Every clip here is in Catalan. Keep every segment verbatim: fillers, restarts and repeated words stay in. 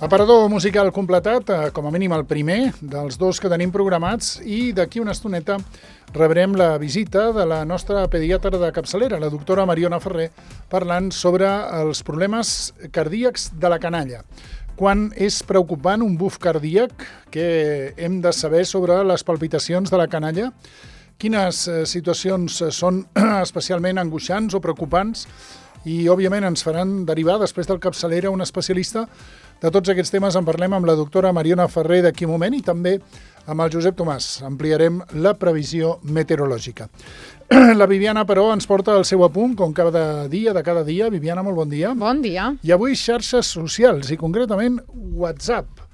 Aparador musical completat, com a mínim el primer dels dos que tenim programats, i d'aquí una estoneta rebrem la visita de la nostra pediatra de capçalera, la doctora Mariona Ferrer, parlant sobre els problemes cardíacs de la canalla. Quan és preocupant un buf cardíac, que hem de saber sobre les palpitacions de la canalla, quines situacions són especialment angoixants o preocupants, i òbviament ens faran derivar després del capçalera un especialista. De tots aquests temes en parlem amb la doctora Mariona Ferrer d'aquí un moment i també amb el Josep Tomàs. Ampliarem la previsió meteorològica. La Viviana, però, ens porta el seu apunt, com cada dia, de cada dia. Viviana, molt bon dia. Bon dia. I avui xarxes socials, i concretament WhatsApp.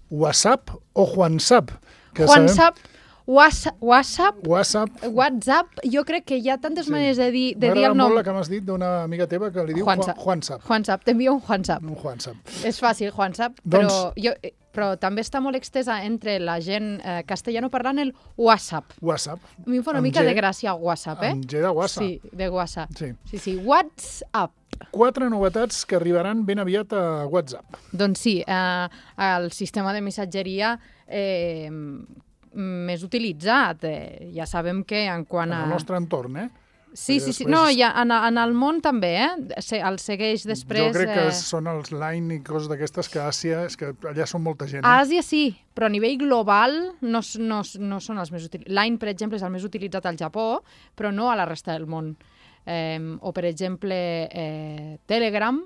WhatsApp o Juansap. Juansap, WhatsApp, WhatsApp, WhatsApp. WhatsApp, jo crec que hi ha tantes sí. maneres de dir, de dir el nom. M'agrada molt la que m'has dit d'una amiga teva que li diu Juansap. Juansap. Juansap, t'envio un Juansap. Un Juansap. És fàcil, Juansap, Doncs... però, jo, però també està molt extesa entre la gent eh, castellano parlant el WhatsApp. WhatsApp. A mi em fa una Amb mica G, de gràcia WhatsApp, eh? Amb G de WhatsApp. Sí, de WhatsApp. Sí. Sí, sí, WhatsApp. Quatre novetats que arribaran ben aviat a WhatsApp. Doncs sí, eh, el sistema de missatgeria eh, més utilitzat. Eh, ja sabem que en quant a... En el nostre entorn, eh? Sí, sí, sí. després... No, ja, en, en el món també, eh? Se, el segueix després... Jo crec que eh... són els Line i coses d'aquestes que a Àsia, és que allà són molta gent. Eh? A Àsia sí, però a nivell global no, no, no són els més utilitzats. Line, per exemple, és el més utilitzat al Japó, però no a la resta del món. Eh, o, per exemple, eh, Telegram,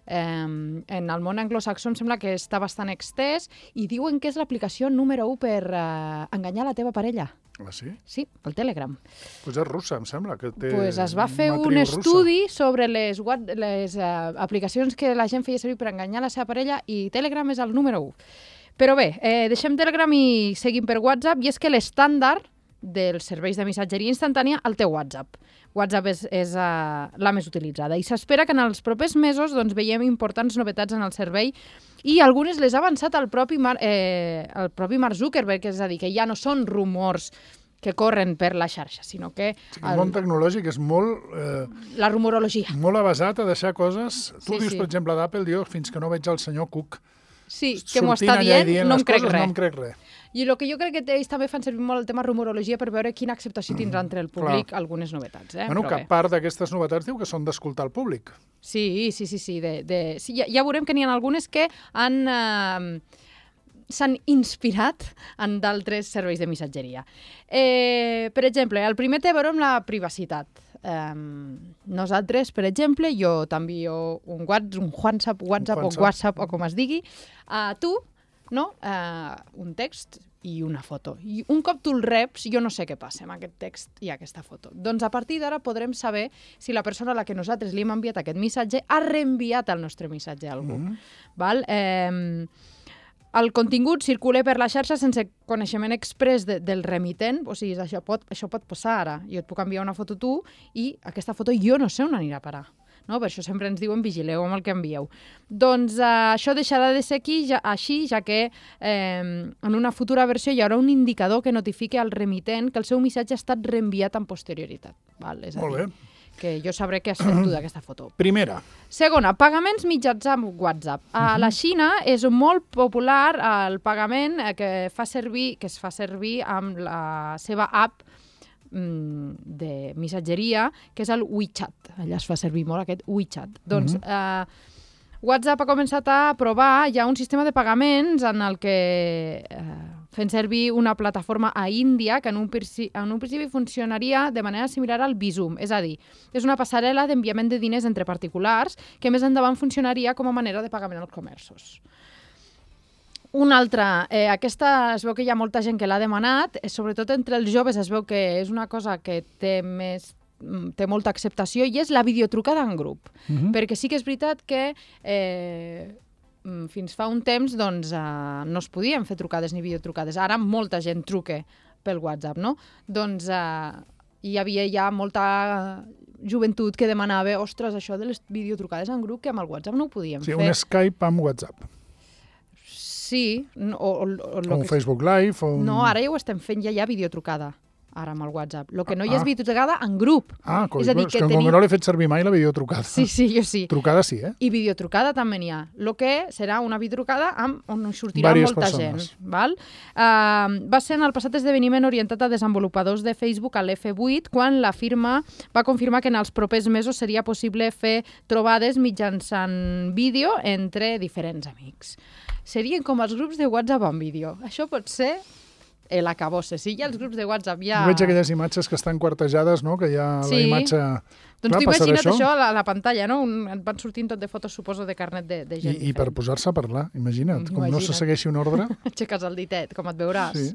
eh, en el món anglosaxó em sembla que està bastant extès i diuen que és l'aplicació número u per eh, enganyar la teva parella. Ah, sí? Sí, pel Telegram. Pues és russa, em sembla, que té pues es va fer un russa. estudi sobre les, les uh, aplicacions que la gent feia servir per enganyar la seva parella i Telegram és el número u. Però bé, eh, deixem Telegram i seguim per WhatsApp, i és que l'estàndard dels serveis de missatgeria instantània el té WhatsApp. WhatsApp és, és uh, la més utilitzada i s'espera que en els propers mesos doncs, veiem importants novetats en el servei i algunes les ha avançat el propi, Mar, eh, el propi Mark Zuckerberg, és a dir, que ja no són rumors que corren per la xarxa, sinó que... Sí, el món tecnològic és molt... Eh, la rumorologia. Molt avasat a deixar coses... Tu sí, dius, sí. per exemple, d'Apple, jo fins que no veig el senyor Cook sí, que m'ho està dient, dient no em crec coses, res. No em crec res. I el que jo crec que ells també fan servir molt el tema rumorologia per veure quina acceptació tindrà entre el públic Clar. algunes novetats. Eh? Bueno, Però que bé. part d'aquestes novetats diu que són d'escoltar el públic. Sí, sí, sí. sí, de, de... sí ja, ja veurem que n'hi ha algunes que han... Eh, s'han inspirat en d'altres serveis de missatgeria. Eh, per exemple, el primer té a veure amb la privacitat. Um, nosaltres, per exemple, jo t'envio un WhatsApp, un WhatsApp, WhatsApp o WhatsApp o com es digui, a tu, no? Uh, un text i una foto. I un cop tu el reps, jo no sé què passa amb aquest text i aquesta foto. Doncs a partir d'ara podrem saber si la persona a la que nosaltres li hem enviat aquest missatge ha reenviat el nostre missatge a algú. Mm-hmm. Val? Eh, el contingut circula per la xarxa sense coneixement express de, del remitent, o sigui, això pot, això pot passar ara. Jo et puc enviar una foto tu i aquesta foto jo no sé on anirà a parar. No? Per això sempre ens diuen vigileu amb el que envieu. Doncs eh, això deixarà de ser aquí, ja, així, ja que eh, en una futura versió hi haurà un indicador que notifiqui al remitent que el seu missatge ha estat reenviat amb posterioritat. Val? És a Molt dir, bé. Que jo sabré què has fet tu d'aquesta foto. Primera. Segona, pagaments mitjans amb WhatsApp. A la Xina és molt popular el pagament que, fa servir, que es fa servir amb la seva app de missatgeria, que és el WeChat. Allà es fa servir molt aquest WeChat. Doncs uh-huh. eh, WhatsApp ha començat a provar ja un sistema de pagaments en el que eh, fent servir una plataforma a Índia que en un, en un principi funcionaria de manera similar al Bizum. És a dir, és una passarel·la d'enviament de diners entre particulars que més endavant funcionaria com a manera de pagament als comerços. Una altra, eh, aquesta es veu que hi ha molta gent que l'ha demanat, eh, sobretot entre els joves es veu que és una cosa que té més té molta acceptació i és la videotrucada en grup. Uh-huh. Perquè sí que és veritat que eh, fins fa un temps doncs, eh, no es podien fer trucades ni videotrucades. Ara molta gent truca pel WhatsApp, no? Doncs eh, hi havia ja molta joventut que demanava ostres, això de les videotrucades en grup, que amb el WhatsApp no ho podíem sí, fer. Sí, un Skype amb WhatsApp. Sí. O, o, o, o un que... Facebook Live. O un... No, ara ja ho estem fent, ja hi ha videotrucada ara amb el WhatsApp. El que no hi és videotrucada en grup. Ah, coi, és a dir, és que que tenim... com que no l'he fet servir mai la videotrucada. Sí, sí, jo sí. Trucada sí, eh? I videotrucada també n'hi ha. El que serà una videotrucada amb, on sortirà Vàries molta persones. gent. Val? Uh, va ser en el passat esdeveniment orientat a desenvolupadors de Facebook a l'F vuit, quan la firma va confirmar que en els propers mesos seria possible fer trobades mitjançant vídeo entre diferents amics. Serien com els grups de WhatsApp en vídeo. Això pot ser l'acabosse. Si hi ha els grups de WhatsApp ja... Jo veig aquelles imatges que estan quartejades, no? Que hi ha Sí. la imatge... Doncs Clar, t'ho passarà imagina't això? això a la, a la pantalla, no? Un, et van sortint tot de fotos, suposo, de carnet de, de gent I, I per diferent. posar-se a parlar, imagina't, com no Imagina't. se segueixi un ordre... Aixeques el ditet, com et veuràs. Sí.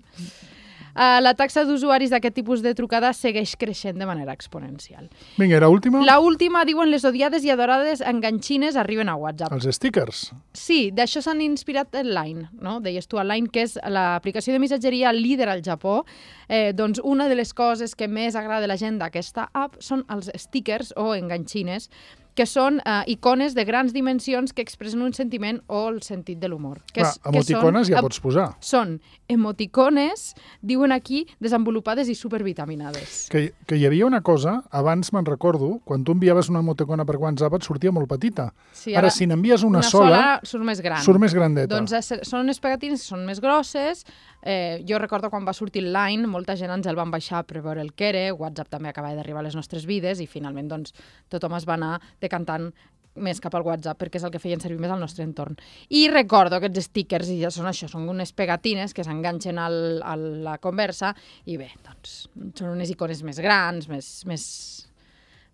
Uh, la taxa d'usuaris d'aquest tipus de trucada segueix creixent de manera exponencial. Vinga, era última? La última, diuen, les odiades i adorades enganxines arriben a WhatsApp. Els stickers. Sí, d'això s'han inspirat en Line, no? Deies tu, Line, que és l'aplicació de missatgeria líder al Japó. Eh, doncs una de les coses que més agrada a la gent d'aquesta app són els stickers o enganxines, que són eh, icones de grans dimensions que expressen un sentiment o el sentit de l'humor. Que Clar, és- que emoticones són- ja pots posar. Són emoticones, diuen aquí, desenvolupades i supervitaminades. Que, que hi havia una cosa, abans me'n recordo, quan tu enviaves una emoticona per WhatsApp et sortia molt petita. Sí, ara, si n'envies una, una sola, surt més gran. surt més grandeta. Doncs eh, són unes pegatines que són més grosses. Eh, jo recordo quan va sortir el Line, molta gent ens el van baixar per veure el que era, WhatsApp també acabava d'arribar a les nostres vides i finalment doncs, tothom es va anar decantant més cap al WhatsApp perquè és el que feien servir més al nostre entorn. I recordo aquests stickers, i ja són això, són unes pegatines que s'enganxen al, a la conversa i bé, doncs són unes icones més grans, més, més,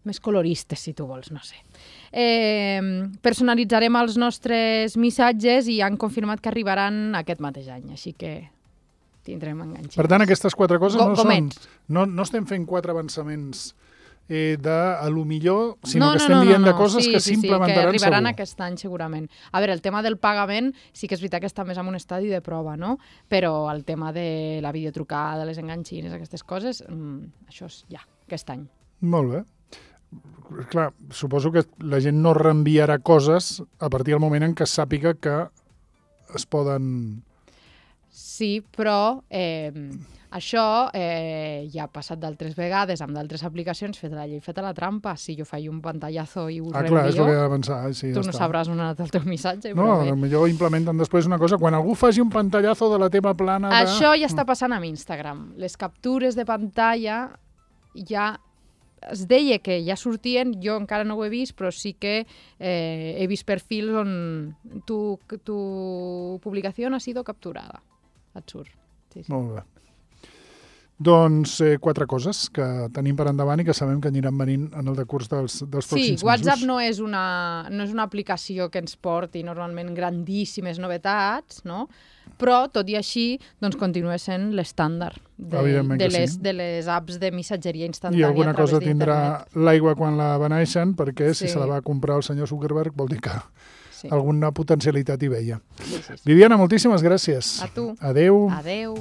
més coloristes, si tu vols, no sé. Eh, personalitzarem els nostres missatges i han confirmat que arribaran aquest mateix any, així que tindrem enganxins. Per tant, aquestes quatre coses Go- no són... gomets. No, no estem fent quatre avançaments eh, de a lo millor, sinó no, que no, estem no, dient no, de coses sí, que sí, s'implementaran sí, que arribaran segur. aquest any segurament. A veure, el tema del pagament sí que és veritat que està més en un estadi de prova, no? Però el tema de la videotrucada, les enganxines, aquestes coses, mmm, això és ja, aquest any. Molt bé. Clar, suposo que la gent no reenviarà coses a partir del moment en què sàpiga que es poden... Sí, però eh, això eh, ja ha passat d'altres vegades amb d'altres aplicacions, feta la llei, feta la trampa. Si jo faig un pantallazo i ho Ah, clar, és el reenvio, que he de pensar. Sí, tu ja no està. sabràs on ha anat el teu missatge. No, però bé. potser implementen després una cosa. Quan algú faci un pantallazo de la teva plana de... Això ja està passant amb Instagram. Les captures de pantalla ja es deia que ja sortien, jo encara no ho he vist, però sí que eh, he vist perfils on tu, tu publicació ha sido capturada. Et surt. Sí, sí. Molt bé. Doncs eh, quatre coses que tenim per endavant i que sabem que aniran venint en el decurs dels, dels Sí, pròxims WhatsApp mesos. no és, una, no és una aplicació que ens porti normalment grandíssimes novetats, no? Però, tot i així, doncs continua sent l'estàndard de, Evidentment de, que les, sí. de les apps de missatgeria I instantània alguna a través cosa tindrà d'internet. l'aigua quan la beneixen, perquè si Sí. se la va comprar el senyor Zuckerberg vol dir que Sí. alguna potencialitat hi veia. Sí, sí, sí. Viviana, moltíssimes gràcies. A tu. Adeu. Adeu.